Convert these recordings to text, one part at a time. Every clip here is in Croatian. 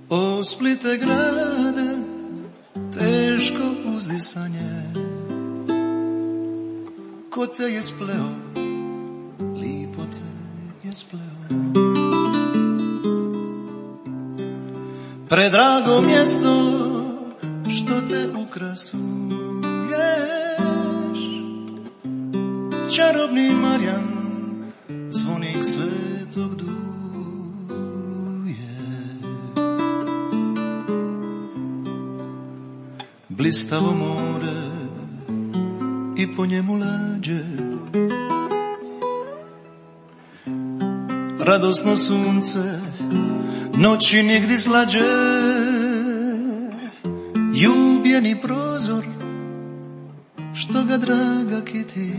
O Splite grade, teško uzdisanje, ko te je spleo, lipo te je spleo. Predrago mjesto što te ukrasuješ, čarobni Marjan, zvonik svetog duje. Blistavo more i po njemu lađe, radosno sunce, noći nigdje slađe, ljubljeni prozor, što ga draga kiti,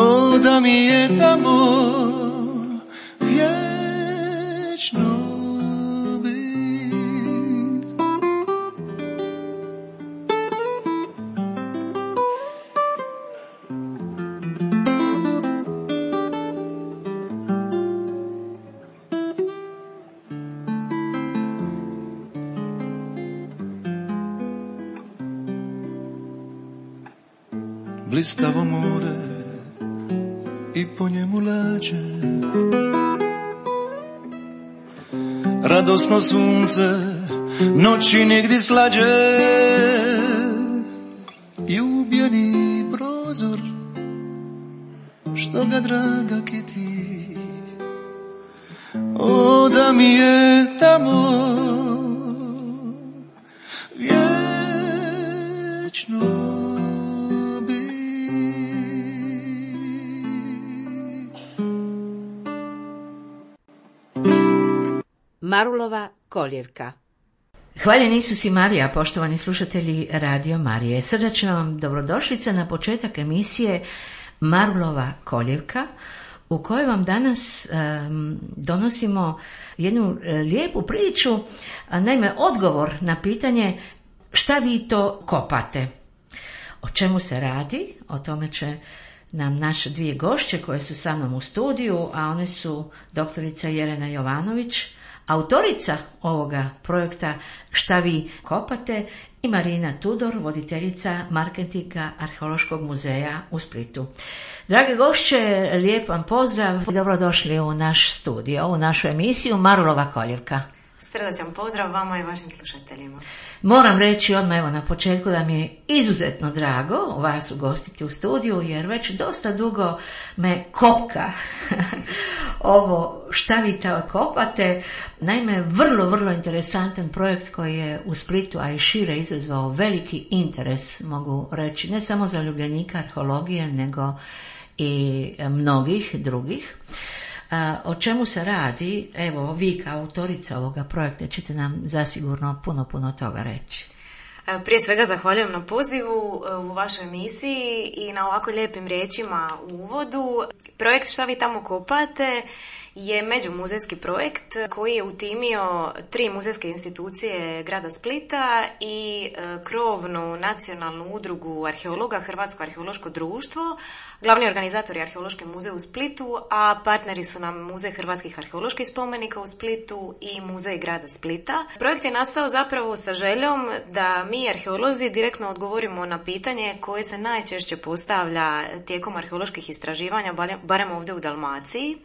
o da mi je tamo vječno bit. Blistavo more i po njemu lađe, radosno sunce, noći nigdje slađe, ljubljeni prozor, što ga draga kiti, o da mi je tamo vječno. Marulova koljevka. Hvaljeni Isus i Marija, poštovani slušatelji Radio Marije. Srdačna vam dobrodošlica na početak emisije Marulova koljevka, u kojoj vam danas donosimo jednu lijepu priču, naime odgovor na pitanje šta vi to kopate. O čemu se radi? O tome će nam naše dvije gošće koje su sa mnom u studiju, a one su doktorica Jelena Jovanović, autorica ovoga projekta Šta vi kopate, i Marina Tudor, voditeljica marketinga Arheološkog muzeja u Splitu. Drage gošće, lijep vam pozdrav, dobrodošli u naš studio, u našu emisiju Marulova koljevka. Srdačan pozdrav vama i vašim slušateljima. Moram reći odmah evo na početku da mi je izuzetno drago vas ugostiti u studiju, jer već dosta dugo me kopka ovo šta vi to kopate. Naime, vrlo interesantan projekt koji je u Splitu, a i šire, izazvao veliki interes, mogu reći, ne samo za ljubljenika arheologije, nego i mnogih drugih. O čemu se radi? Evo, vi kao autorica ovoga projekta ćete nam zasigurno puno toga reći. Prije svega zahvaljujem na pozivu u vašoj emisiji i na ovako lijepim riječima u uvodu. Projekt Šta vi tamo kopate je međumuzejski projekt koji je utimio 3 muzejske institucije grada Splita i krovnu nacionalnu udrugu arheologa, Hrvatsko arheološko društvo. Glavni organizator je Arheološki muzej u Splitu, a partneri su nam Muzej hrvatskih arheoloških spomenika u Splitu i Muzej grada Splita. Projekt je nastao zapravo sa željom da mi arheolozi direktno odgovorimo na pitanje koje se najčešće postavlja tijekom arheoloških istraživanja, barem ovdje u Dalmaciji.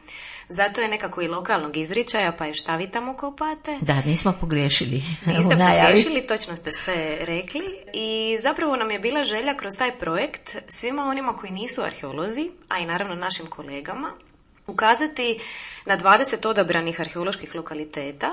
Zato je nekako i lokalnog izričaja, pa je šta vi tamo kopate. Da, nismo pogriješili. Niste pogriješili, točno ste sve rekli. I zapravo nam je bila želja kroz taj projekt svima onima koji nisu arheolozi, a i naravno našim kolegama, ukazati na 20 odabranih arheoloških lokaliteta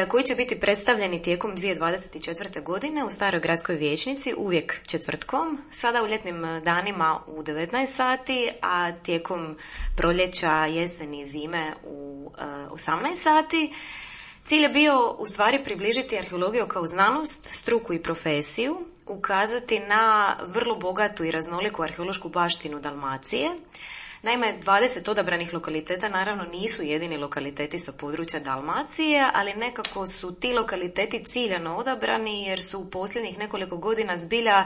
koji će biti predstavljeni tijekom 2024. godine u Staroj gradskoj vijećnici, uvijek četvrtkom, sada u ljetnim danima u 19 sati, a tijekom proljeća, jeseni i zime u 18 sati. Cilj je bio u stvari približiti arheologiju kao znanost, struku i profesiju, ukazati na vrlo bogatu i raznoliku arheološku baštinu Dalmacije. Naime, 20 odabranih lokaliteta naravno nisu jedini lokaliteti sa područja Dalmacije, ali nekako su ti lokaliteti ciljano odabrani jer su u posljednjih nekoliko godina zbilja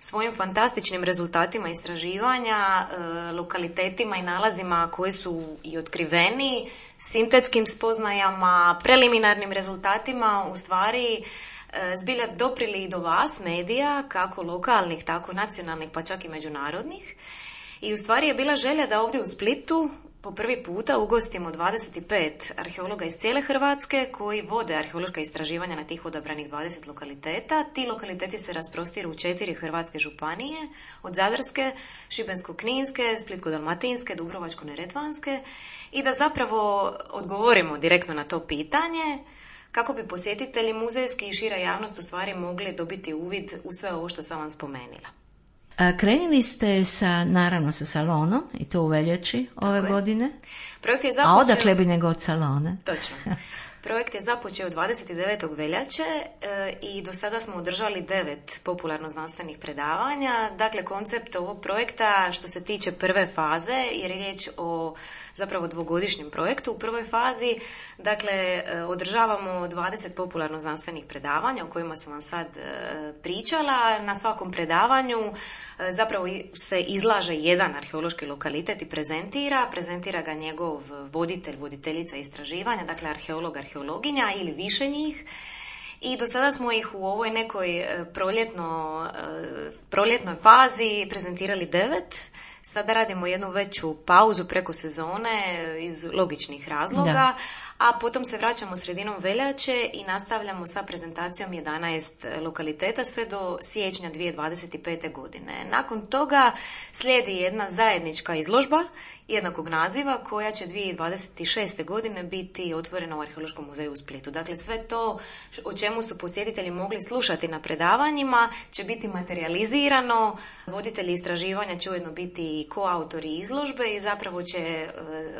svojim fantastičnim rezultatima istraživanja, lokalitetima i nalazima koji su i otkriveni, sintetskim spoznajama, preliminarnim rezultatima, u stvari zbilja doprili i do vas, medija, kako lokalnih, tako nacionalnih, pa čak i međunarodnih. I u stvari je bila želja da ovdje u Splitu po prvi puta ugostimo 25 arheologa iz cijele Hrvatske koji vode arheološka istraživanja na tih odabranih 20 lokaliteta. Ti lokaliteti se rasprostiru u 4 hrvatske županije, od Zadarske, Šibensko-kninske, Splitsko-dalmatinske, Dubrovačko-neretvanske, i da zapravo odgovorimo direktno na to pitanje kako bi posjetitelji muzejski i šira javnost u stvari mogli dobiti uvid u sve ovo što sam vam spomenila. Krenuli ste naravno sa salonom, i to u veljači ove godine. Projekt je započeo... A odakle bi nego od salone? Točno. Projekt je započeo 29. veljače i do sada smo održali 9 popularno-znanstvenih predavanja. Dakle, koncept ovog projekta što se tiče prve faze, jer je riječ o zapravo dvogodišnjem projektu. U prvoj fazi, dakle, održavamo 20 popularno-znanstvenih predavanja o kojima sam vam sad pričala. Na svakom predavanju zapravo se izlaže jedan arheološki lokalitet i prezentira ga njegov voditelj, voditeljica istraživanja, dakle arheolog, arheologinja ili više njih. I do sada smo ih u ovoj nekoj proljetnoj fazi prezentirali 9. Sada radimo jednu veću pauzu preko sezone iz logičnih razloga, a potom se vraćamo sredinom veljače i nastavljamo sa prezentacijom 11 lokaliteta sve do siječnja 2025. godine. Nakon toga slijedi jedna zajednička izložba jednakog naziva koja će 2026. godine biti otvorena u Arheološkom muzeju u Splitu. Dakle, sve to o čemu su posjetitelji mogli slušati na predavanjima će biti materializirano. Voditelji istraživanja će ujedno biti i koautori izložbe i zapravo će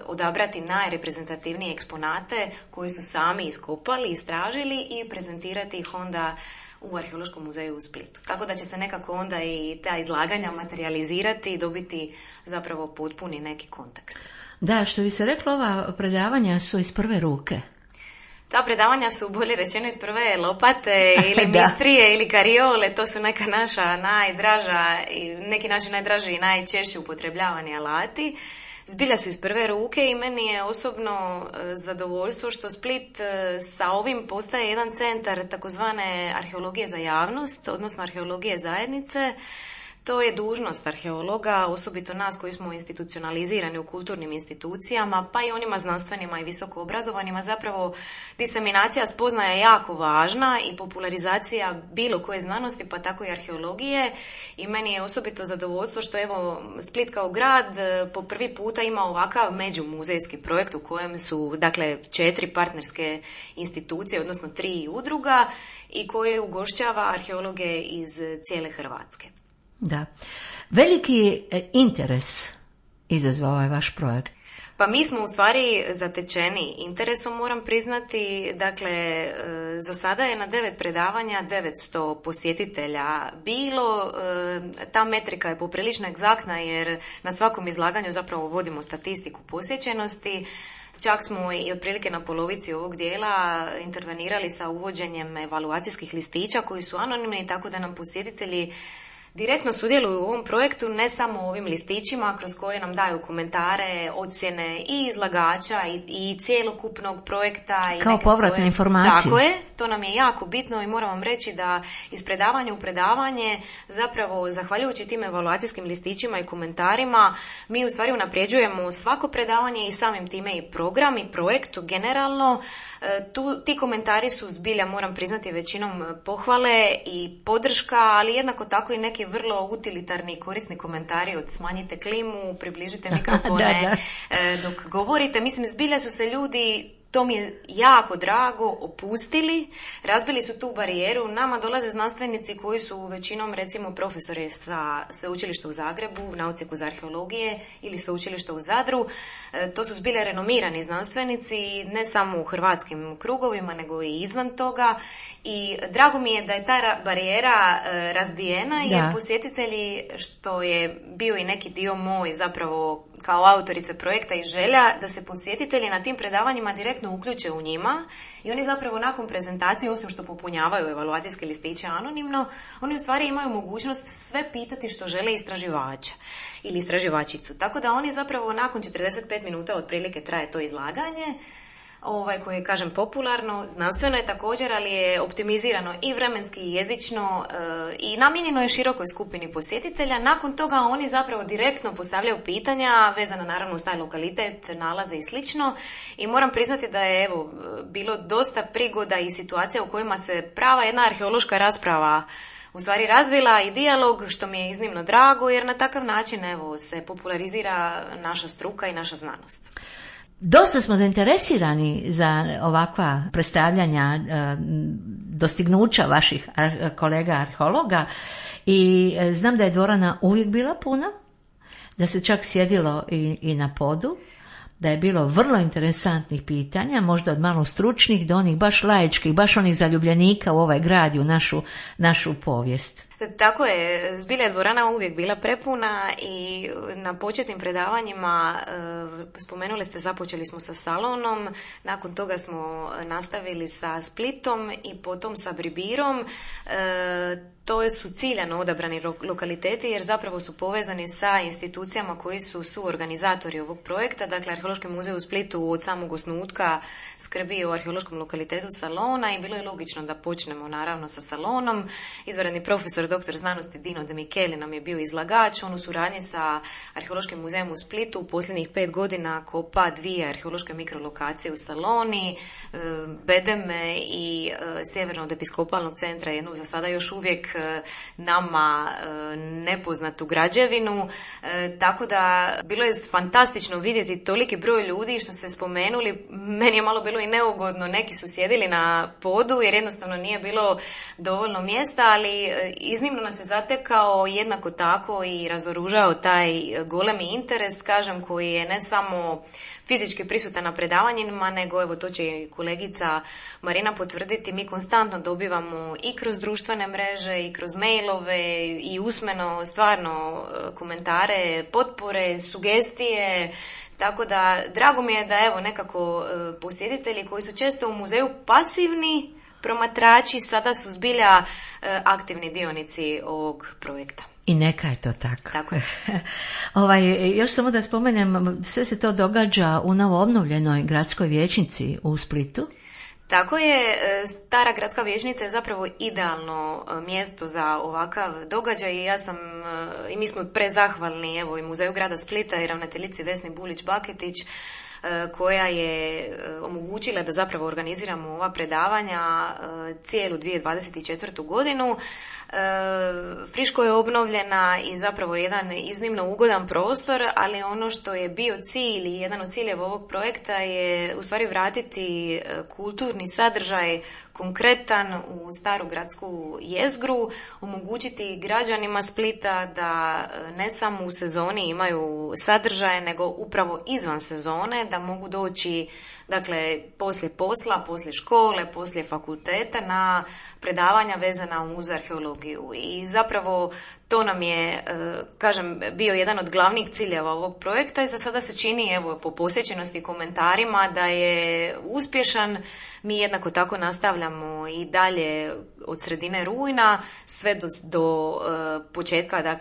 odabrati najreprezentativnije eksponate koji su sami iskopali, istražili i prezentirati ih onda u Arheološkom muzeju u Splitu. Tako da će se nekako onda i ta izlaganja materializirati i dobiti zapravo potpuni neki kontekst. Da, što bi se reklo, ova predavanja su iz prve ruke. Ta predavanja su, bolje rečeno, iz prve lopate ili mistrije ili kariole. To su neka naša najdraža, neki naši najdraži i najčešće upotrebljavani alati. Zbilja su iz prve ruke i meni je osobno zadovoljstvo što Split sa ovim postaje jedan centar takozvane arheologije za javnost, odnosno arheologije zajednice. To je dužnost arheologa, osobito nas koji smo institucionalizirani u kulturnim institucijama, pa i onima znanstvenima i visoko obrazovanima. Zapravo, diseminacija spoznaja je jako važna i popularizacija bilo koje znanosti, pa tako i arheologije. I meni je osobito zadovoljstvo što evo Split kao grad po prvi puta ima ovakav međumuzejski projekt u kojem su, dakle, 4 partnerske institucije, odnosno 3 udruga i koji ugošćava arheologe iz cijele Hrvatske. Da. Veliki interes izazvao ovaj vaš projekt. Pa mi smo u stvari zatečeni interesom, moram priznati. Dakle, za sada je na 9 predavanja 900 posjetitelja bilo. Ta metrika je poprilično egzaktna jer na svakom izlaganju zapravo vodimo statistiku posjećenosti. Čak smo i otprilike na polovici ovog dijela intervenirali sa uvođenjem evaluacijskih listića koji su anonimni, tako da nam posjetitelji direktno sudjeluju u ovom projektu, ne samo ovim listićima kroz koje nam daju komentare, ocjene i izlagača i cjelokupnog projekta. I kao neke povratne svoje... informacije. Tako je, to nam je jako bitno i moram vam reći da iz predavanja u predavanje, zapravo zahvaljujući tim evaluacijskim listićima i komentarima, mi u stvari unapređujemo svako predavanje i samim time i program i projekt generalno. Ti komentari su zbilja, moram priznati, većinom pohvale i podrška, ali jednako tako i neki vrlo utilitarni i korisni komentari od smanjite klimu, približite mikrofone dok govorite. Mislim, zbilja su se ljudi, to mi je jako drago, opustili, razbili su tu barijeru. Nama dolaze znanstvenici koji su većinom, recimo, profesori sa sveučilišta u Zagrebu, na odsjeku za arheologije ili sveučilišta u Zadru. To su zbilja renomirani znanstvenici, ne samo u hrvatskim krugovima, nego i izvan toga. I drago mi je da je ta barijera razbijena, jer posjetitelji, što je bio i neki dio moj zapravo kao autorice projekta i želja, da se posjetitelji na tim predavanjima direktno direktno uključe u njima i oni zapravo nakon prezentacije, osim što popunjavaju evaluacijske listiće anonimno, oni u stvari imaju mogućnost sve pitati što žele istraživača ili istraživačicu. Tako da oni zapravo nakon 45 minuta otprilike traje to izlaganje, koje je, kažem, popularno, znanstveno je također, ali je optimizirano i vremenski i jezično i namijenjeno je širokoj skupini posjetitelja. Nakon toga oni zapravo direktno postavljaju pitanja vezana naravno uz taj lokalitet, nalaze i slično. I moram priznati da je bilo dosta prigoda i situacija u kojima se prava jedna arheološka rasprava u stvari razvila i dijalog, što mi je iznimno drago, jer na takav način se popularizira naša struka i naša znanost. Dosta smo zainteresirani za ovakva predstavljanja dostignuća vaših kolega arheologa i znam da je dvorana uvijek bila puna, da se čak sjedilo i na podu, da je bilo vrlo interesantnih pitanja, možda od malo stručnih do onih baš laičkih, baš onih zaljubljenika u ovaj grad i u našu povijest. Tako je, zbilja je dvorana uvijek bila prepuna i na početnim predavanjima, spomenuli ste, započeli smo sa Salonom, nakon toga smo nastavili sa Splitom i potom sa Bribirom. To su ciljano odabrani lokaliteti jer zapravo su povezani sa institucijama koji su suorganizatori ovog projekta. Dakle, Arheološki muzej u Splitu od samog osnutka skrbi o arheološkom lokalitetu Salona i bilo je logično da počnemo naravno sa Salonom. Izvanredni profesor dr. znanosti Dino De Micheli nam je bio izlagač. On u suradnji sa Arheološkim muzejem u Splitu u posljednjih 5 godina kopa 2 arheološke mikrolokacije u Saloni, Bedeme i Sjeverno od episkopalnog centra, jednu za sada još uvijek nama nepoznatu građevinu, tako da bilo je fantastično vidjeti toliki broj ljudi što ste spomenuli. Meni je malo bilo i neugodno, neki su sjedili na podu jer jednostavno nije bilo dovoljno mjesta, ali iznimno nas je zatekao jednako tako i razoružao taj golemi interes, kažem, koji je ne samo fizički prisutan na predavanjima, nego to će i kolegica Marina potvrditi, mi konstantno dobivamo i kroz društvene mreže i kroz mailove i usmeno stvarno komentare, potpore, sugestije, tako da drago mi je da nekako posjetitelji koji su često u muzeju pasivni promatrači sada su zbilja aktivni dionici ovog projekta. I neka je to tako. Tako je. Još samo da spomenem, sve se to događa u novo obnovljenoj gradskoj vijećnici u Splitu. Tako je, stara gradska vijećnica je zapravo idealno mjesto za ovakav događaj i mi smo prezahvalni i Muzeju grada Splita i ravnateljici Vesni Bulić-Baketić koja je omogućila da zapravo organiziramo ova predavanja cijelu 2024. godinu. Friško je obnovljena i zapravo jedan iznimno ugodan prostor, ali ono što je bio cilj i jedan od ciljeva ovog projekta je u stvari vratiti kulturni sadržaj konkretan u staru gradsku jezgru, omogućiti građanima Splita da ne samo u sezoni imaju sadržaje, nego upravo izvan sezone, da mogu doći poslije posla, poslije škole, poslije fakulteta na predavanja vezana uz arheologiju. I zapravo to nam je, bio jedan od glavnih ciljeva ovog projekta i za sada se čini, po posjećenosti i komentarima, da je uspješan. Mi jednako tako nastavljamo i dalje od sredine rujna sve do početka,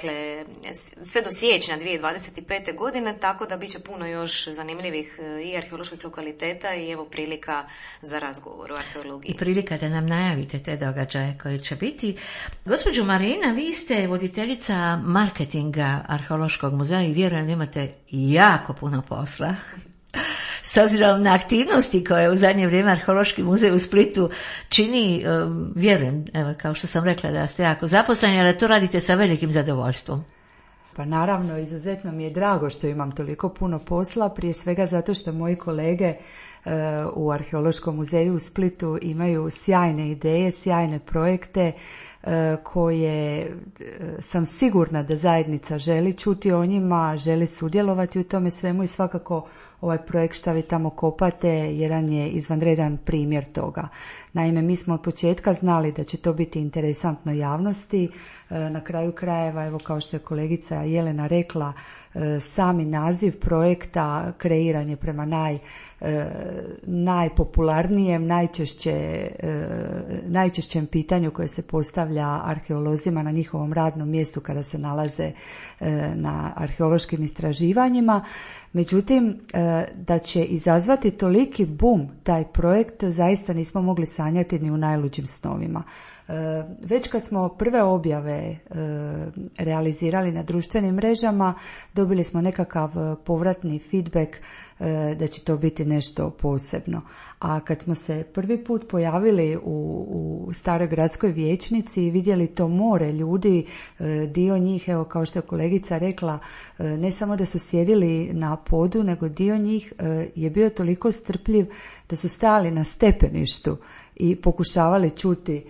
sve do siječnja 2025. godine, tako da bit će puno još zanimljivih i arheoloških lokaliteta i prilika za razgovor o arheologiji. I prilika da nam najavite te događaje koji će biti. Gospođo Marina, vi ste voditeljica marketinga Arheološkog muzeja i vjerujem da imate jako puno posla. S obzirom na aktivnosti koje u zadnje vrijeme Arheološki muzej u Splitu čini, vjerujem, kao što sam rekla, da ste jako zaposleni, ali to radite sa velikim zadovoljstvom. Pa naravno, izuzetno mi je drago što imam toliko puno posla, prije svega zato što moji kolege u Arheološkom muzeju u Splitu imaju sjajne ideje, sjajne projekte koje sam sigurna da zajednica želi čuti o njima, želi sudjelovati u tome svemu i svakako ovaj projekt Šta vi tamo kopate jedan je izvanredan primjer toga. Naime, mi smo od početka znali da će to biti interesantno javnosti. Na kraju krajeva, evo kao što je kolegica Jelena rekla, sami naziv projekta kreiran je prema najpopularnijem, najčešćem pitanju koje se postavlja arheolozima na njihovom radnom mjestu kada se nalaze na arheološkim istraživanjima. Međutim, da će izazvati toliki bum taj projekt zaista nismo mogli sanjati ni u najluđim snovima. Već kad smo prve objave realizirali na društvenim mrežama, dobili smo nekakav povratni feedback da će to biti nešto posebno. A kad smo se prvi put pojavili u staroj gradskoj vijećnici i vidjeli to more ljudi, dio njih, evo kao što je kolegica rekla, ne samo da su sjedili na podu, nego dio njih je bio toliko strpljiv da su stali na stepeništu i pokušavali čuti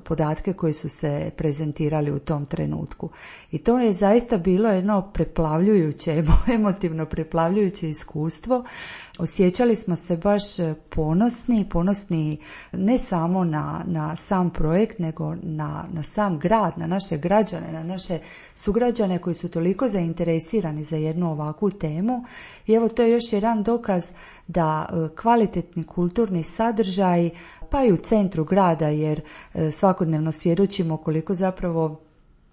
podatke koji su se prezentirali u tom trenutku. I to je zaista bilo jedno preplavljujuće, emotivno preplavljujuće iskustvo. Osjećali smo se baš ponosni ne samo na sam projekt, nego na sam grad, na naše građane, na naše sugrađane koji su toliko zainteresirani za jednu ovakvu temu. I evo to je još jedan dokaz da kvalitetni kulturni sadržaj, pa i u centru grada, jer svakodnevno svjedočimo koliko zapravo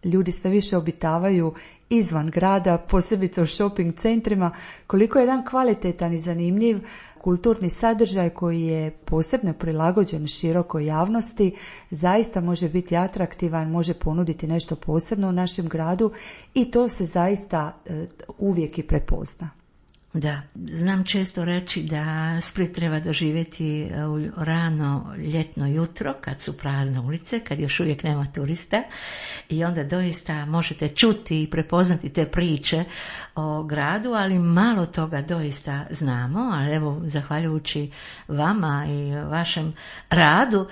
ljudi sve više obitavaju izvan grada, posebice u shopping centrima, koliko je jedan kvalitetan i zanimljiv kulturni sadržaj koji je posebno prilagođen širokoj javnosti, zaista može biti atraktivan, može ponuditi nešto posebno u našem gradu i to se zaista uvijek i prepozna. Da, znam često reći da Split treba doživjeti u rano ljetno jutro kad su prazne ulice, kad još uvijek nema turista i onda doista možete čuti i prepoznati te priče o gradu, ali malo toga doista znamo, ali evo zahvaljujući vama i vašem radu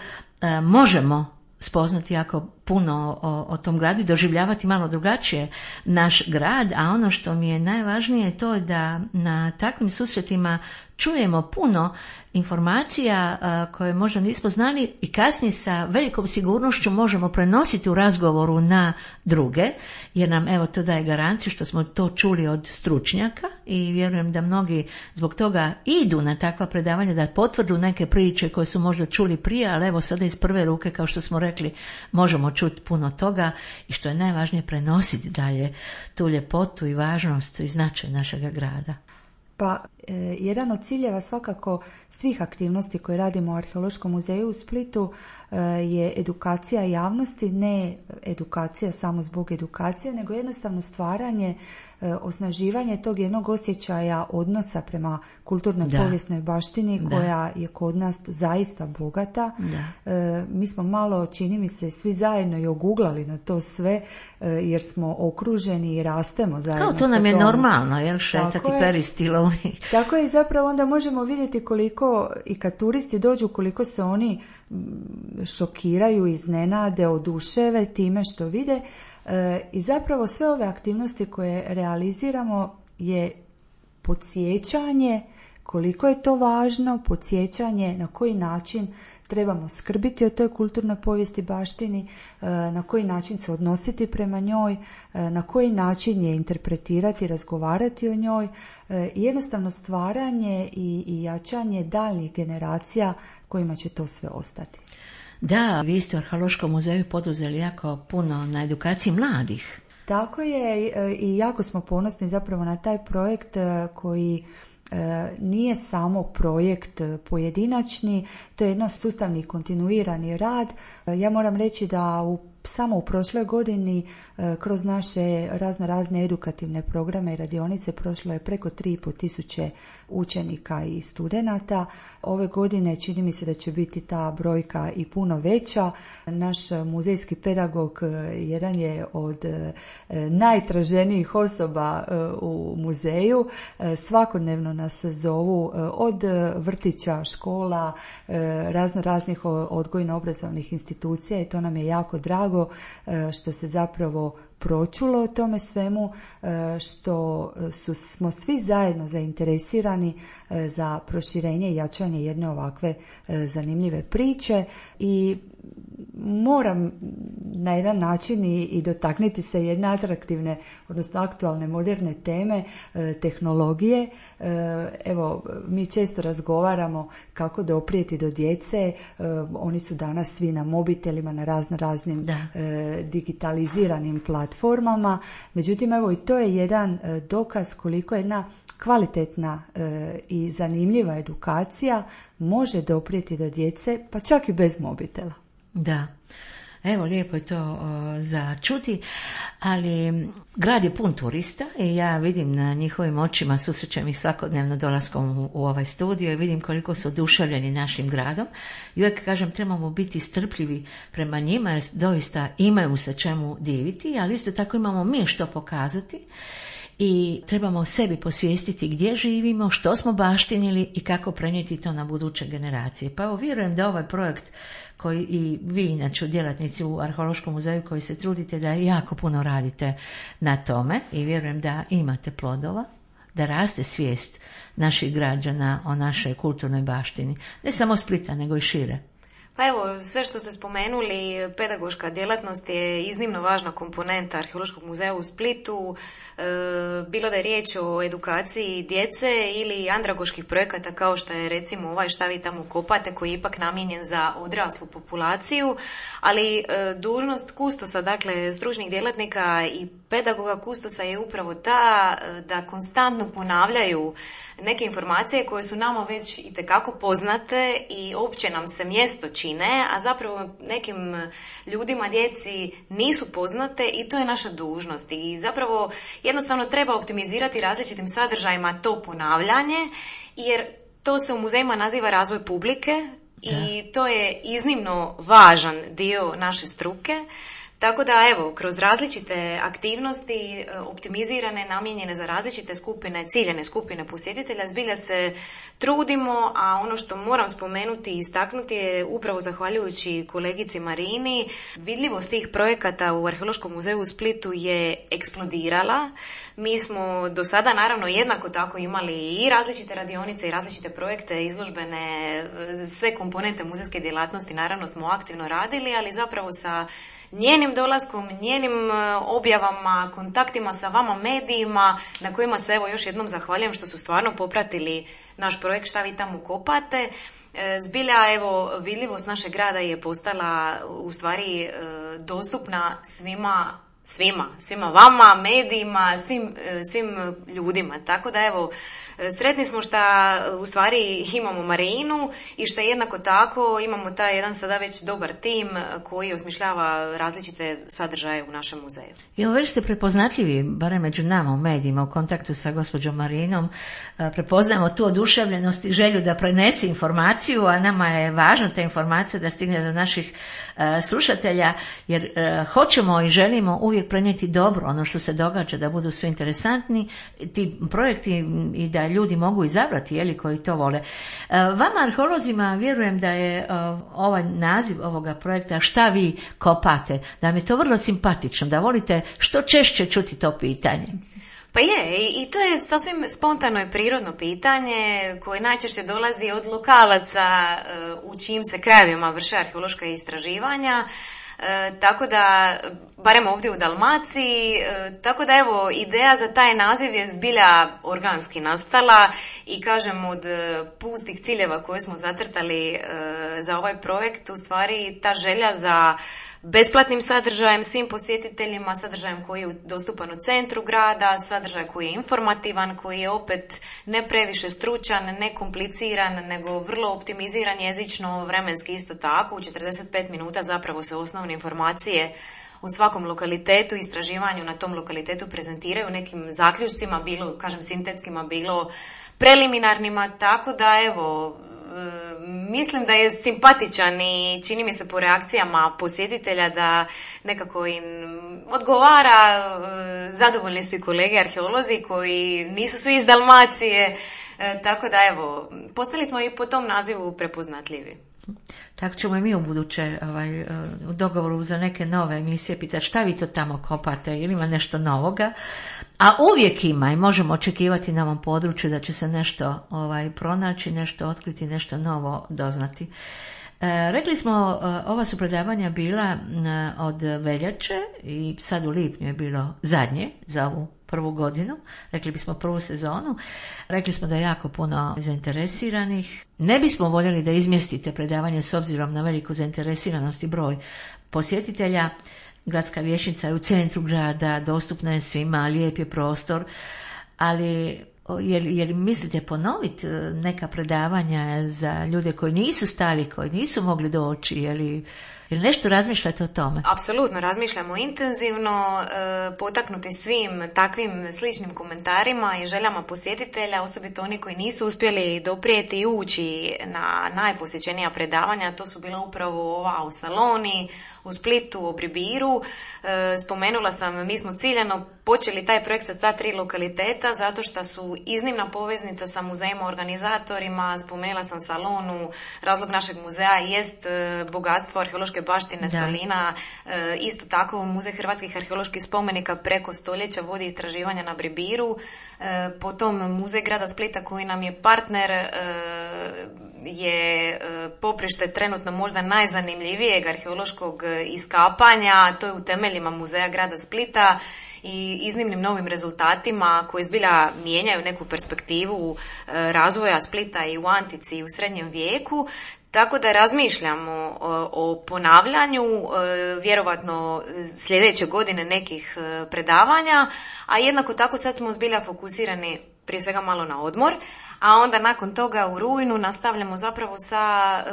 možemo spoznati jako puno o tom gradu i doživljavati malo drugačije naš grad, a ono što mi je najvažnije je to da na takvim susretima čujemo puno informacija koje možda nismo znali i kasnije sa velikom sigurnošću možemo prenositi u razgovoru na druge, jer nam evo to daje garanciju što smo to čuli od stručnjaka i vjerujem da mnogi zbog toga idu na takva predavanja da potvrdu neke priče koje su možda čuli prije, ali evo sada iz prve ruke, kao što smo rekli, možemo čuti puno toga i što je najvažnije prenositi dalje tu ljepotu i važnost i značaj našega grada. Pa jedan od ciljeva svakako svih aktivnosti koje radimo u Arheološkom muzeju u Splitu je edukacija javnosti, ne edukacija samo zbog edukacije, nego jednostavno stvaranje, osnaživanje tog jednog osjećaja odnosa prema kulturnoj povijesnoj baštini koja je kod nas zaista bogata. Mi smo malo, čini mi se, svi zajedno i oguglali na to sve jer smo okruženi i rastemo zajedno. Kao to nam je normalno, jel, šetati peristilovni. Tako je, i zapravo onda možemo vidjeti koliko i kad turisti dođu, koliko se oni šokiraju, iznenade, oduševe time što vide. I zapravo sve ove aktivnosti koje realiziramo je podsjećanje koliko je to važno, podsjećanje na koji način trebamo skrbiti o toj kulturnoj povijesti baštini, na koji način se odnositi prema njoj, na koji način je interpretirati, razgovarati o njoj, jednostavno stvaranje i jačanje daljnjih generacija kojima će to sve ostati. Da, vi ste u Arheološkom muzeju poduzeli jako puno na edukaciji mladih. Tako je, i jako smo ponosni zapravo na taj projekt koji nije samo projekt pojedinačni, to je jedno sustavni kontinuirani rad. Ja moram reći da samo u prošloj godini kroz naše razne edukativne programe i radionice prošlo je preko 3.500 učenika i studenata. Ove godine čini mi se da će biti ta brojka i puno veća. Naš muzejski pedagog jedan je od najtraženijih osoba u muzeju. Svakodnevno nas zovu od vrtića, škola, raznih odgojno-obrazovnih institucija i to nam je jako drago što se zapravo pročulo o tome svemu, što smo svi zajedno zainteresirani za proširenje i jačanje jedne ovakve zanimljive priče i moram na jedan način i dotakniti se jedne atraktivne, odnosno aktualne moderne teme, tehnologije. Evo, mi često razgovaramo kako doprijeti do djece, oni su danas svi na mobitelima, na raznim digitaliziranim platformama, međutim evo i to je jedan dokaz koliko jedna kvalitetna i zanimljiva edukacija može doprijeti do djece, pa čak i bez mobitela. Da, evo lijepo je to za čuti, ali grad je pun turista i ja vidim na njihovim očima, susrećem ih svakodnevno dolaskom u ovaj studio i vidim koliko su oduševljeni našim gradom i uvijek kažem trebamo biti strpljivi prema njima jer doista imaju se čemu diviti, ali isto tako imamo mi što pokazati. I trebamo sebi posvijestiti gdje živimo, što smo baštinili i kako prenijeti to na buduće generacije. Pa evo, vjerujem da ovaj projekt koji i vi inače djelatnici u Arheološkom muzeju koji se trudite da jako puno radite na tome i vjerujem da imate plodova, da raste svijest naših građana o našoj kulturnoj baštini. Ne samo Splita, nego i šire. Pa evo, sve što ste spomenuli, pedagoška djelatnost je iznimno važna komponenta Arheološkog muzeja u Splitu, bilo da je riječ o edukaciji djece ili andragoških projekata kao što je recimo ovaj Šta vi tamo kopate, koji je ipak namijenjen za odraslu populaciju, ali dužnost kustosa, dakle stručnih djelatnika i pedagoga kustosa je upravo ta da konstantno ponavljaju neke informacije koje su nama već itekako poznate i opće nam se mjesto čine, a zapravo nekim ljudima, djeci nisu poznate i to je naša dužnost. I zapravo jednostavno treba optimizirati različitim sadržajima to ponavljanje, jer to se u muzejima naziva razvoj publike i to je iznimno važan dio naše struke. Tako da evo, kroz različite aktivnosti optimizirane, namijenjene za različite skupine, ciljane skupine posjetitelja, zbilja se trudimo, a ono što moram spomenuti i istaknuti je upravo zahvaljujući kolegici Marini, vidljivost tih projekata u Arheološkom muzeju u Splitu je eksplodirala. Mi smo do sada naravno jednako tako imali i različite radionice i različite projekte, izložbene, sve komponente muzejske djelatnosti naravno smo aktivno radili, ali zapravo sa njenim dolaskom, njenim objavama, kontaktima sa vama medijima, na kojima se evo još jednom zahvaljujem što su stvarno popratili naš projekt Šta vi tamo kopate. Zbilja evo vidljivost našeg grada je postala u stvari dostupna svima vama, medijima, svim ljudima. Tako da evo, sretni smo što u stvari imamo Marinu i što jednako tako imamo taj jedan sada već dobar tim koji osmišljava različite sadržaje u našem muzeju. I već ste prepoznatljivi, barem među nama u medijima, u kontaktu sa gospođom Marinom, prepoznajemo tu oduševljenost i želju da prenese informaciju, a nama je važno ta informacija da stigne do naših slušatelja, jer hoćemo i želimo uvijek prenijeti dobro, ono što se događa, da budu sve interesantni ti projekti i da ljudi mogu izabrati, jeli, koji to vole. Vama arheolozima vjerujem da je ovaj naziv ovoga projekta Šta vi kopate, da vam je to vrlo simpatično, da volite što češće čuti to pitanje. Pa je, i to je sasvim spontano i prirodno pitanje koje najčešće dolazi od lokalaca u čijim se krajevima vrše arheološka istraživanja. Tako da, barem ovdje u Dalmaciji, tako da evo, ideja za taj naziv je zbilja organski nastala i kažem od pustih ciljeva koje smo zacrtali za ovaj projekt, u stvari ta želja za besplatnim sadržajem svim posjetiteljima, sadržajem koji je dostupan u centru grada, sadržaj koji je informativan, koji je opet ne previše stručan, ne kompliciran, nego vrlo optimiziran jezično, vremenski isto tako. U 45 minuta zapravo se osnovne informacije u svakom lokalitetu, istraživanju na tom lokalitetu prezentiraju nekim zaključcima, bilo, kažem, sintetskima, bilo preliminarnima, tako da evo, mislim da je simpatičan i čini mi se po reakcijama posjetitelja da nekako im odgovara. Zadovoljni su i kolege arheolozi koji nisu svi iz Dalmacije, tako da evo, postali smo i po tom nazivu prepoznatljivi. Tako ćemo i mi u buduće u dogovoru za neke nove emisije pitati šta vi to tamo kopate ili ima nešto novoga. A uvijek ima i možemo očekivati na ovom području da će se nešto pronaći, nešto otkriti, nešto novo doznati. Rekli smo, ova su predavanja bila od veljače i sad u lipnju je bilo zadnje za ovu prvu godinu, rekli bismo prvu sezonu. Rekli smo da je jako puno zainteresiranih. Ne bismo voljeli da izmjestite predavanje s obzirom na veliku zainteresiranost i broj posjetitelja. Gradska vijećnica je u centru grada, dostupna je svima, lijep je prostor, ali jer mislite ponoviti neka predavanja za ljude koji nisu stali, koji nisu mogli doći, ili nešto razmišljate o tome? Apsolutno, razmišljamo intenzivno, potaknuti svim takvim sličnim komentarima i željama posjetitelja, osobito oni koji nisu uspjeli doprijeti i ući na najposjećenija predavanja. To su bila upravo ova u Saloni, u Splitu, u Bribiru. Spomenula sam, mi smo ciljano počeli taj projekt sa ta 3 lokaliteta zato što su iznimna poveznica sa muzejima organizatorima. Spomenula sam Salonu, razlog našeg muzeja jest bogatstvo arheološke baštine Solina, isto tako Muzej hrvatskih arheoloških spomenika preko stoljeća vodi istraživanja na Bribiru, potom Muzej grada Splita koji nam je partner je poprište trenutno možda najzanimljivijeg arheološkog iskapanja, to je u temeljima Muzeja grada Splita i iznimnim novim rezultatima koji zbilja mijenjaju neku perspektivu razvoja Splita i u antici i u srednjem vijeku. Tako da razmišljamo o ponavljanju, vjerovatno sljedeće godine nekih predavanja, a jednako tako sad smo zbilja fokusirani prije svega malo na odmor, a onda nakon toga u rujnu nastavljamo zapravo sa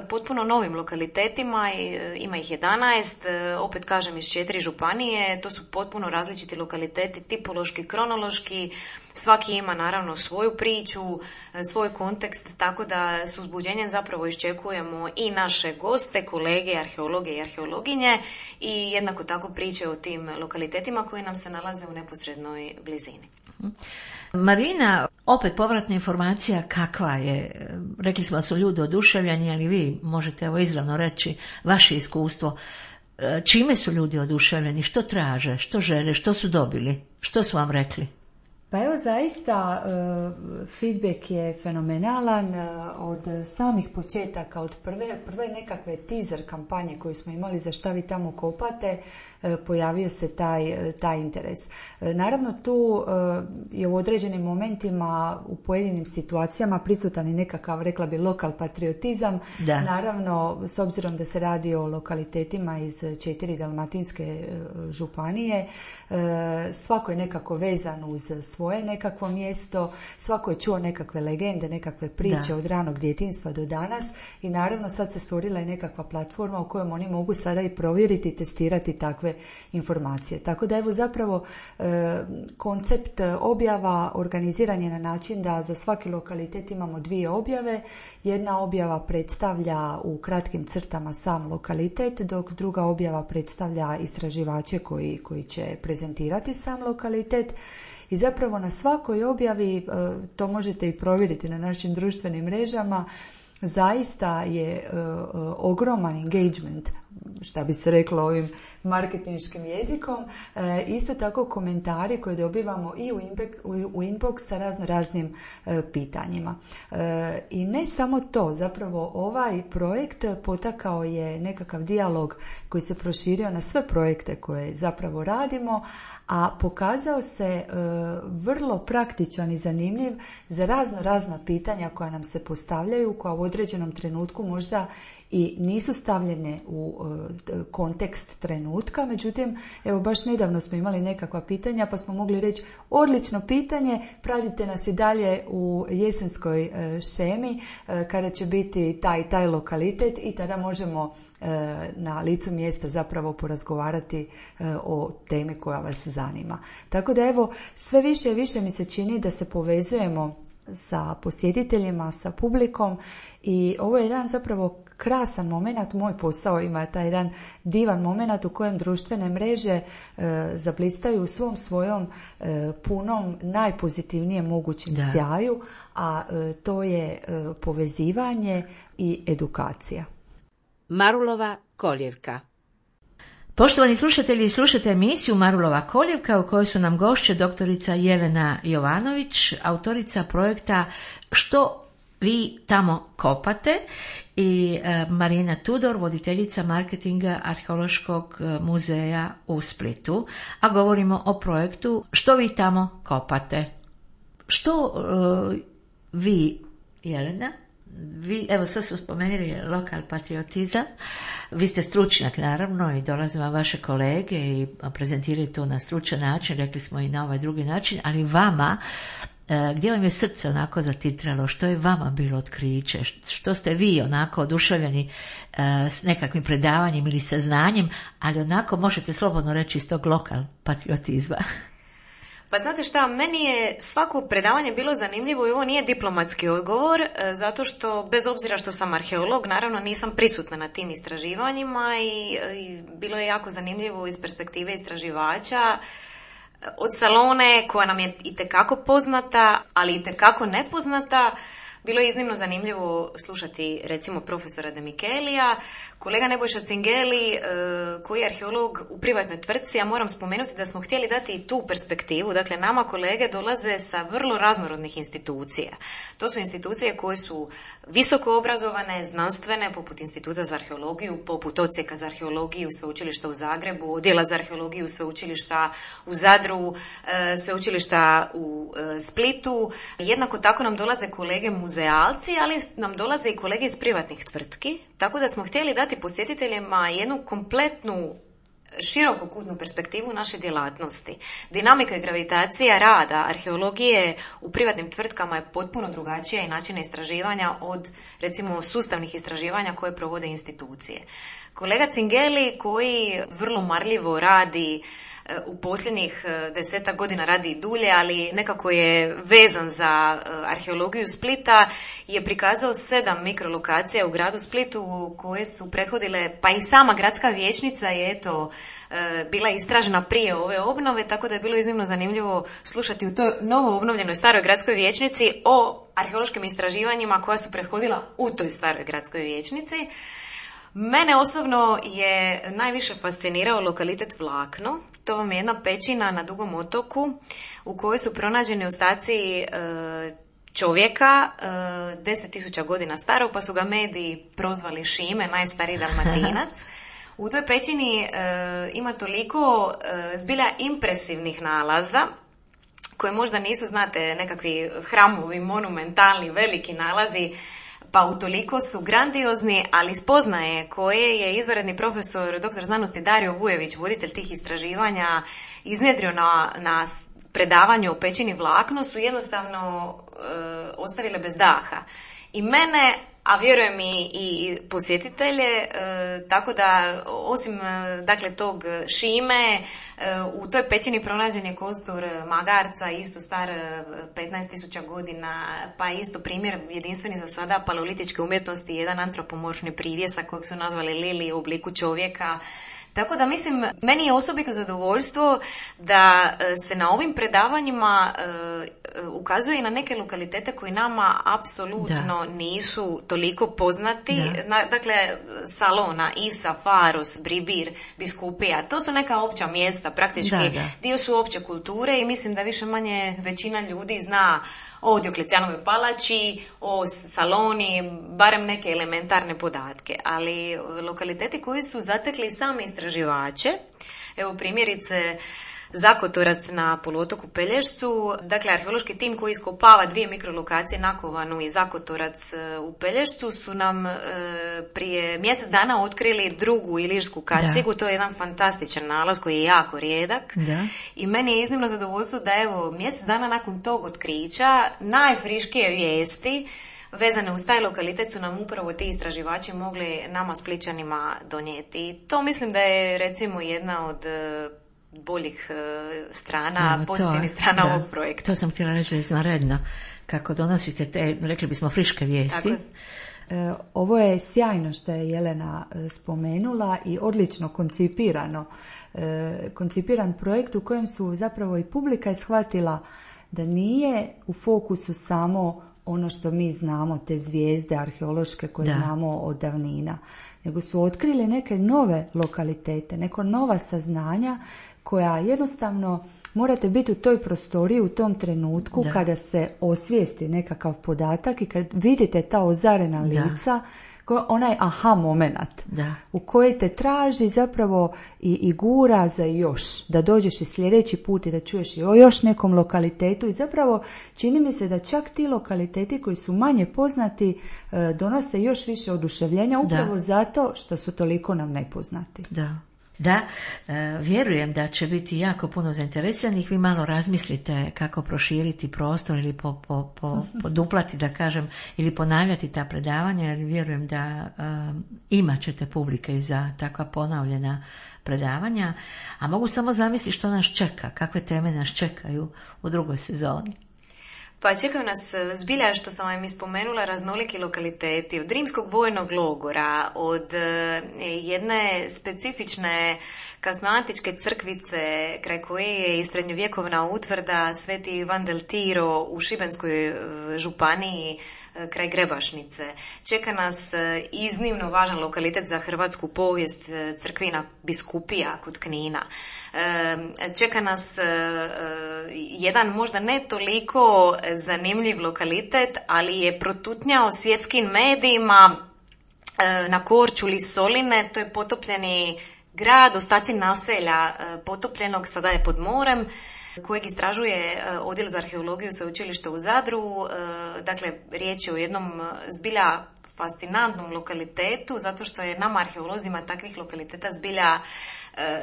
potpuno novim lokalitetima, ima ih 11, opet kažem iz 4 županije, to su potpuno različiti lokaliteti, tipološki, kronološki, svaki ima naravno svoju priču, svoj kontekst, tako da s uzbuđenjem zapravo iščekujemo i naše goste, kolege, arheologe i arheologinje i jednako tako priče o tim lokalitetima koji nam se nalaze u neposrednoj blizini. Marina, opet povratna informacija kakva je, rekli smo da su ljudi oduševljeni, ali vi možete izravno reći vaše iskustvo, čime su ljudi oduševljeni, što traže, što žele, što su dobili, što su vam rekli? Pa evo zaista feedback je fenomenalan od samih početaka, od prve nekakve teaser kampanje koju smo imali za šta vi tamo kopate, pojavio se taj interes. Naravno tu je u određenim momentima u pojedinim situacijama prisutan i nekakav, rekla bi, lokal patriotizam. Da. Naravno, s obzirom da se radi o lokalitetima iz 4 dalmatinske županije, svako je nekako vezan uz svoje nekakvo mjesto, svako je čuo nekakve legende, nekakve priče od ranog djetinjstva do danas i naravno sad se stvorila i nekakva platforma u kojoj oni mogu sada i provjeriti i testirati takve informacije. Tako da evo zapravo koncept objava organiziran je na način da za svaki lokalitet imamo 2 objave. Jedna objava predstavlja u kratkim crtama sam lokalitet, dok druga objava predstavlja istraživače koji će prezentirati sam lokalitet. I zapravo na svakoj objavi, to možete i provjeriti na našim društvenim mrežama, zaista je ogroman engagement, šta bi se reklo ovim marketinškim jezikom, isto tako komentari koje dobivamo i u inbox sa raznim pitanjima. I ne samo to, zapravo ovaj projekt potakao je nekakav dijalog koji se proširio na sve projekte koje zapravo radimo, a pokazao se vrlo praktičan i zanimljiv za razna pitanja koja nam se postavljaju, koja u određenom trenutku možda i nisu stavljene u kontekst trenutka, međutim, evo baš nedavno smo imali nekakva pitanja pa smo mogli reći odlično pitanje, pratite nas i dalje u jesenskoj šemi kada će biti taj lokalitet i tada možemo na licu mjesta zapravo porazgovarati o temi koja vas zanima. Tako da evo, sve više i više mi se čini da se povezujemo sa posjetiteljima, sa publikom i ovo je jedan zapravo krasan moment, moj posao ima taj jedan divan moment u kojem društvene mreže zablistaju u svom svojom punom, najpozitivnijem mogućem sjaju, a to je povezivanje i edukacija. Marulova koljevka. Poštovani slušatelji, slušate emisiju Marulova koljevka u kojoj su nam gošće doktorica Jelena Jovanović, autorica projekta Što vi tamo kopate, i Marina Tudor, voditeljica marketinga Arheološkog muzeja u Splitu, a govorimo o projektu Što vi tamo kopate. Što vi, Jelena, vi, evo sad su spomenuli lokal patriotizam, vi ste stručnjak naravno i dolaze vam vaše kolege i prezentiraju to na stručan način, rekli smo i na ovaj drugi način, ali vama, gdje vam je srce onako zatitralo, što je vama bilo otkriće, što ste vi onako oduševljeni s nekakvim predavanjem ili saznanjem, ali onako možete slobodno reći iz tog lokal patriotizma. Pa znate šta, meni je svako predavanje bilo zanimljivo i ovo nije diplomatski odgovor, zato što bez obzira što sam arheolog, naravno nisam prisutna na tim istraživanjima i bilo je jako zanimljivo iz perspektive istraživača, od Salone koja nam je itekako poznata, ali itekako nepoznata. Bilo je iznimno zanimljivo slušati recimo profesora De Michelija, kolega Nebojša Cingeli koji je arheolog u privatnoj tvrtci, a moram spomenuti da smo htjeli dati i tu perspektivu. Dakle, nama kolege dolaze sa vrlo raznorodnih institucija. To su institucije koje su visoko obrazovane, znanstvene, poput Instituta za arheologiju, poput Odsjeka za arheologiju Sveučilišta u Zagrebu, Odjela za arheologiju Sveučilišta u Zadru, Sveučilišta u Splitu. Jednako tako nam dolaze kolege muzealci, ali nam dolaze i kolege iz privatnih tvrtki, tako da smo htjeli dati posjetiteljima jednu kompletnu širokokutnu perspektivu naše djelatnosti. Dinamika i gravitacija rada arheologije u privatnim tvrtkama je potpuno drugačija i načina istraživanja od recimo sustavnih istraživanja koje provode institucije. Kolega Cingeli koji vrlo marljivo radi u posljednjih 10 godina, radi i dulje, ali nekako je vezan za arheologiju Splita, je prikazao 7 mikrolokacija u gradu Splitu koje su prethodile, pa i sama gradska vijećnica je bila istražena prije ove obnove, tako da je bilo iznimno zanimljivo slušati u toj novo obnovljenoj staroj gradskoj vijećnici o arheološkim istraživanjima koja su prethodila u toj staroj gradskoj vijećnici. Mene osobno je najviše fascinirao lokalitet Vlakno. To vam je jedna pećina na Dugom otoku u kojoj su pronađeni ostaci čovjeka 10.000 godina starog, pa su ga mediji prozvali Šime, najstariji Dalmatinac. U toj pećini ima toliko zbilja impresivnih nalaza koje možda nisu, znate, nekakvi hramovi, monumentalni, veliki nalazi, pa utoliko su grandiozni, ali spoznaje koje je izvanredni profesor dr. znanosti Dario Vujević, voditelj tih istraživanja, iznjedrio na predavanju o pećini Vlakno, su jednostavno ostavile bez daha. I mene, a vjerujem i posjetitelje, tako da osim dakle tog Šime, u toj pećini pronađen je kostur magarca, isto star 15.000 godina, pa isto primjer jedinstveni za sada paleolitičke umjetnosti, jedan antropomorfni privjesak kojeg su nazvali Lili u obliku čovjeka. Tako da mislim, meni je osobito zadovoljstvo da se na ovim predavanjima ukazuje i na neke lokalitete koji nama apsolutno nisu toliko poznati. Dakle, Salona, Isa, Faros, Bribir, Biskupija, to su neka opća mjesta, praktički dio su opće kulture i mislim da više manje većina ljudi zna o Dioklecijanovoj palači, o Saloni, barem neke elementarne podatke. Ali lokaliteti koji su zatekli same istraživače, evo primjerice Zakotorac na poluotoku Pelješcu, dakle arheološki tim koji iskopava 2 mikrolokacije Nakovanu i Zakotorac u Pelješcu su nam prije mjesec dana otkrili drugu ilirsku kacigu, to je jedan fantastičan nalaz koji je jako rijedak i meni je iznimno zadovoljstvo da evo mjesec dana nakon tog otkrića najfriškije vijesti vezane uz taj lokalitet su nam upravo ti istraživači mogli nama Splićanima donijeti. To mislim da je recimo jedna od boljih strana, pozitivnih strana ovog projekta. To sam htjela reći izvanredno, kako donosite te, rekli bismo, friške vijesti. Ovo je sjajno što je Jelena spomenula i odlično koncipiran projekt u kojem su zapravo i publika shvatila da nije u fokusu samo ono što mi znamo, te zvijezde arheološke koje znamo od davnina, nego su otkrili neke nove lokalitete, neka nova saznanja koja jednostavno morate biti u toj prostoriji u tom trenutku kada se osvijesti nekakav podatak i kad vidite ta ozarena lica, onaj aha moment u koji te traži zapravo i gura za još, da dođeš i sljedeći put i da čuješ i o još nekom lokalitetu i zapravo čini mi se da čak ti lokaliteti koji su manje poznati donose još više oduševljenja upravo zato što su toliko nam nepoznati. Da, vjerujem da će biti jako puno zainteresiranih. Vi malo razmislite kako proširiti prostor ili poduplati, da kažem, ili ponavljati ta predavanja, jer vjerujem da imat ćete publike i za takva ponavljena predavanja. A mogu samo zamisliti što nas čeka, kakve teme nas čekaju u drugoj sezoni. Pa čekaju nas zbilja, što sam vam ispomenula, raznoliki lokaliteti, od rimskog vojnog logora, od jedne specifične kasnoantičke crkvice kraj koje je i srednjovjekovna utvrda Sveti Ivan del Tiro u Šibenskoj županiji kraj Grebašnice. Čeka nas iznimno važan lokalitet za hrvatsku povijest, crkvina biskupija kod Knina. Čeka nas jedan možda ne toliko zanimljiv lokalitet, ali je protutnjao svjetskim medijima na Korčuli Soline, to je potopljeni grad, ostaci naselja potopljenog, sada je pod morem, kojeg istražuje Odjel za arheologiju Sveučilišta u Zadru. Dakle, riječ je o jednom zbilja fascinantnom lokalitetu, zato što je nama arheolozima takvih lokaliteta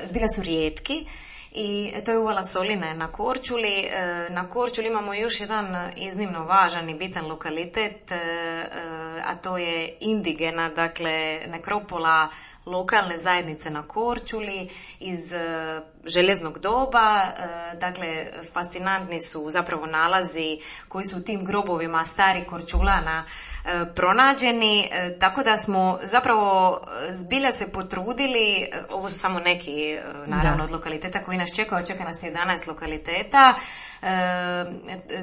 zbilja su rijetki. I to je uvala Soline na Korčuli. Na Korčuli imamo još jedan iznimno važan i bitan lokalitet, a to je indigena, dakle nekropola lokalne zajednice na Korčuli iz željeznog doba. Dakle, fascinantni su zapravo nalazi koji su u tim grobovima starih Korčulana pronađeni, tako da smo zapravo zbilja se potrudili. Ovo su samo neki naravno od lokaliteta koji nas čekaju, čeka nas 11 lokaliteta.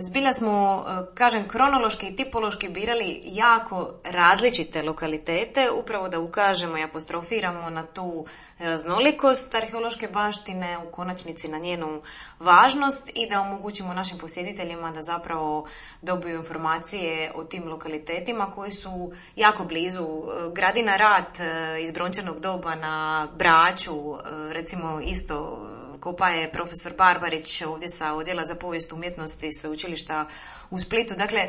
Zbilja smo, kažem, kronološki i tipološki birali jako različite lokalitete, upravo da ukažemo i apostrofiramo na tu raznolikost arheološke baštine, u konačnici na njenu važnost i da omogućimo našim posjetiteljima da zapravo dobiju informacije o tim lokalitetima koji su jako blizu. Gradina Rat iz brončanog doba na Braču, recimo isto kopa je profesor Barbarić ovdje sa Odjela za povijest umjetnosti Sveučilišta u Splitu. Dakle,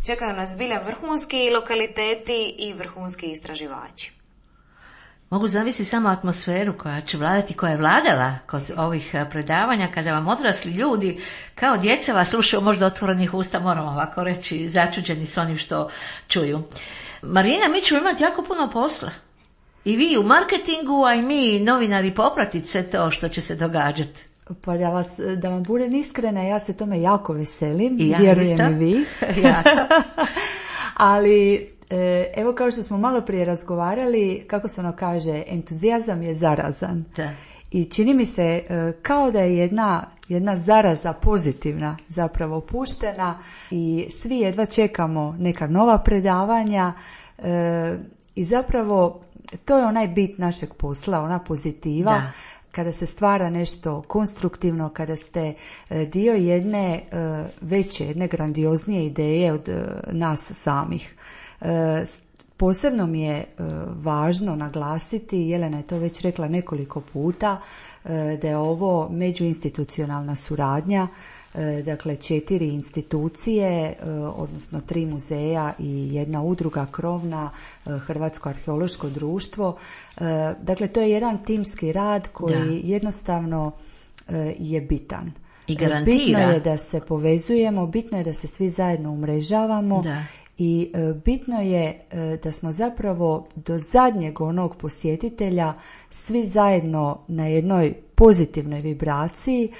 čekaju nas zbilja vrhunski lokaliteti i vrhunski istraživači. Mogu zamisliti samo atmosferu koja će vladati, koja je vladala kod ovih predavanja, kada vam odrasli ljudi kao djeca vas slušaju možda otvorenih usta, moram ovako reći, začuđeni s onim što čuju. Marina, mi ćemo imati jako puno posla. I vi u marketingu, a i mi novinari popratiti sve to što će se događati. Pa da vam budem iskrena, ja se tome jako veselim, vjerujem i vi. Ali evo, kao što smo malo prije razgovarali, kako se ono kaže, entuzijazam je zarazan. Da. I čini mi se kao da je jedna zaraza pozitivna zapravo puštena i svi jedva čekamo neka nova predavanja i zapravo to je onaj bit našeg posla, ona pozitiva. Da. Kada se stvara nešto konstruktivno, kada ste dio jedne veće, jedne grandioznije ideje od nas samih. Posebno mi je važno naglasiti, Jelena je to već rekla nekoliko puta, da je ovo međuinstitucionalna suradnja, dakle 4 institucije, odnosno 3 muzeja i jedna udruga krovna, Hrvatsko arheološko društvo. Dakle, to je jedan timski rad koji jednostavno je bitan. I garantira. Bitno je da se povezujemo, bitno je da se svi zajedno umrežavamo. Da. I bitno je da smo zapravo do zadnjeg onog posjetitelja svi zajedno na jednoj pozitivnoj vibraciji,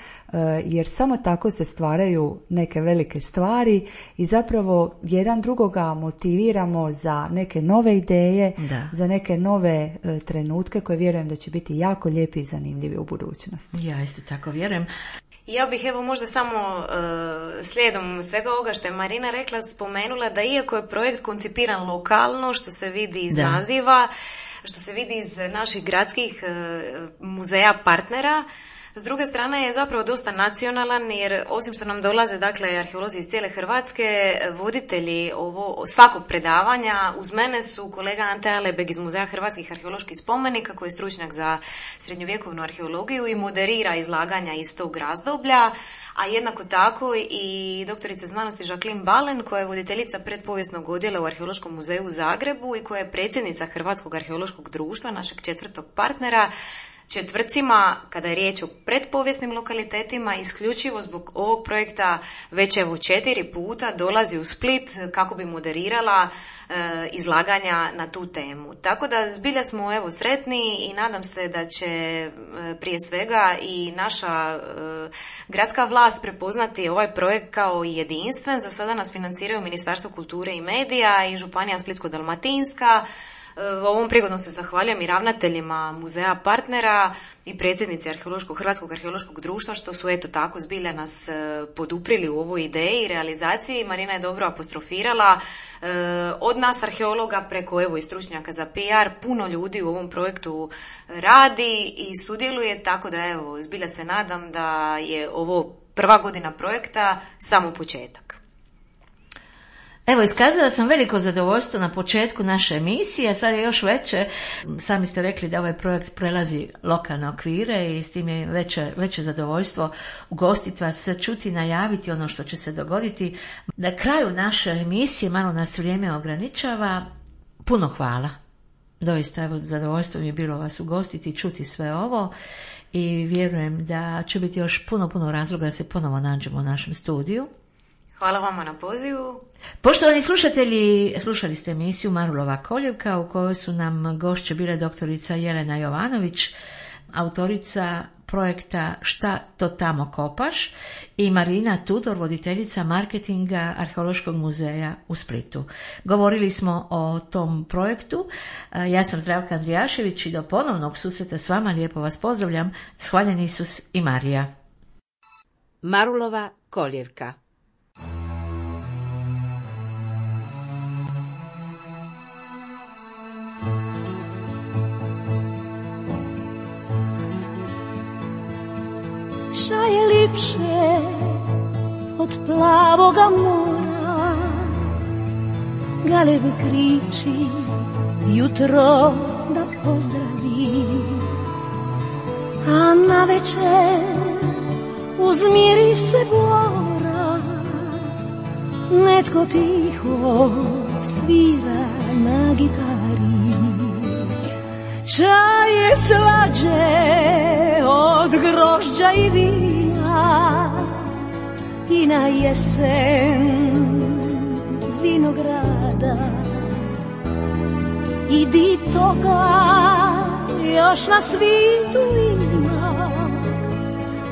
jer samo tako se stvaraju neke velike stvari i zapravo jedan drugoga motiviramo za neke nove ideje, za neke nove trenutke koje vjerujem da će biti jako lijepi i zanimljivi u budućnosti. Ja isto tako vjerujem. Ja bih evo možda samo slijedom svega ovoga što je Marina rekla spomenula da iako je projekt koncipiran lokalno, što se vidi iz naziva, što se vidi iz naših gradskih muzeja partnera, s druge strane je zapravo dosta nacionalan jer osim što nam dolaze dakle arheolozi iz cijele Hrvatske, voditelji svakog predavanja uz mene su kolega Ante Alebeg iz Muzeja hrvatskih arheoloških spomenika koji je stručnjak za srednjovjekovnu arheologiju i moderira izlaganja iz tog razdoblja, a jednako tako i doktorica znanosti Jacqueline Balen koja je voditeljica predpovijesnog odjela u Arheološkom muzeju u Zagrebu i koja je predsjednica Hrvatskog arheološkog društva, našeg 4. partnera. Četvrcima, kada je riječ o predpovijesnim lokalitetima, isključivo zbog ovog projekta već evo 4 puta dolazi u Split kako bi moderirala izlaganja na tu temu. Tako da zbilja smo evo sretni i nadam se da će prije svega i naša gradska vlast prepoznati ovaj projekt kao jedinstven. Za sada nas financiraju Ministarstvo kulture i medija i Županija Splitsko-dalmatinska. Ovom prigodom se zahvaljujem i ravnateljima muzeja partnera i predsjednici Hrvatskog arheološkog društva što su eto tako zbilja nas poduprili u ovoj ideji i realizaciji. Marina je dobro apostrofirala od nas arheologa preko evo i stručnjaka za PR, puno ljudi u ovom projektu radi i sudjeluje, tako da evo zbilja se nadam da je ovo prva godina projekta samo početak. Evo, iskazala sam veliko zadovoljstvo na početku naše emisije, sad je još veće. Sami ste rekli da ovaj projekt prelazi lokalne okvire i s tim je veće zadovoljstvo ugostiti vas, čuti, najaviti ono što će se dogoditi. Na kraju naše emisije, malo nas vrijeme ograničava, puno hvala. Doista, evo, zadovoljstvo mi je bilo vas ugostiti i čuti sve ovo i vjerujem da će biti još puno razloga da se ponovo nađemo u našem studiju. Hvala vama na pozivu. Poštovani slušatelji, slušali ste emisiju Marulova koljevka u kojoj su nam gošće bile doktorica Jelena Jovanović, autorica projekta Šta to tamo kopaš i Marina Tudor, voditeljica marketinga Arheološkog muzeja u Splitu. Govorili smo o tom projektu. Ja sam Zdravka Andrijašević i do ponovnog susreta s vama lijepo vas pozdravljam. Hvaljen Isus i Marija. Marulova koljevka. Šta je lipše od plavoga mora, galeb kriči jutro da pozdravi, a navečer uz mirise bora netko tiho svira na gitari. Čaj je slađe od grožđa i vina i na jesen vinograda i di toga još na svijetu ima,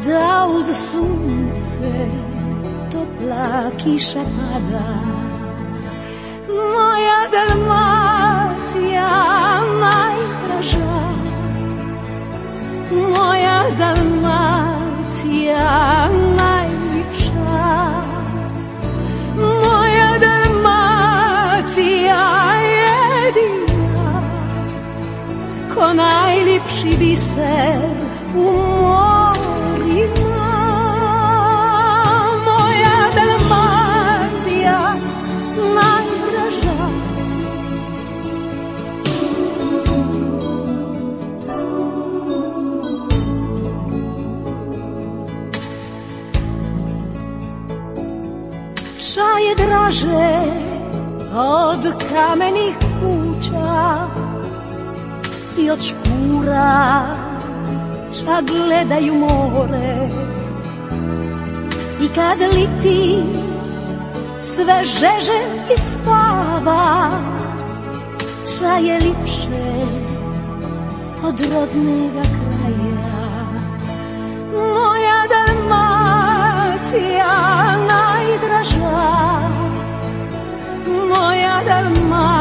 da uz sunce topla kiša pada. Moja Dalmacija najdraža, moja Dalmacija najljepša, moja Dalmacija jedina, ko najljepši biser u morima. Moja Dalmacija najdraža. Ča je draže od kamenih kuća i od škura ča gledaju more, i kad liti sve žeže i spava, ča je lipše od rodnega kraja. Moja Dalmacija najdraža, moja Dalmacija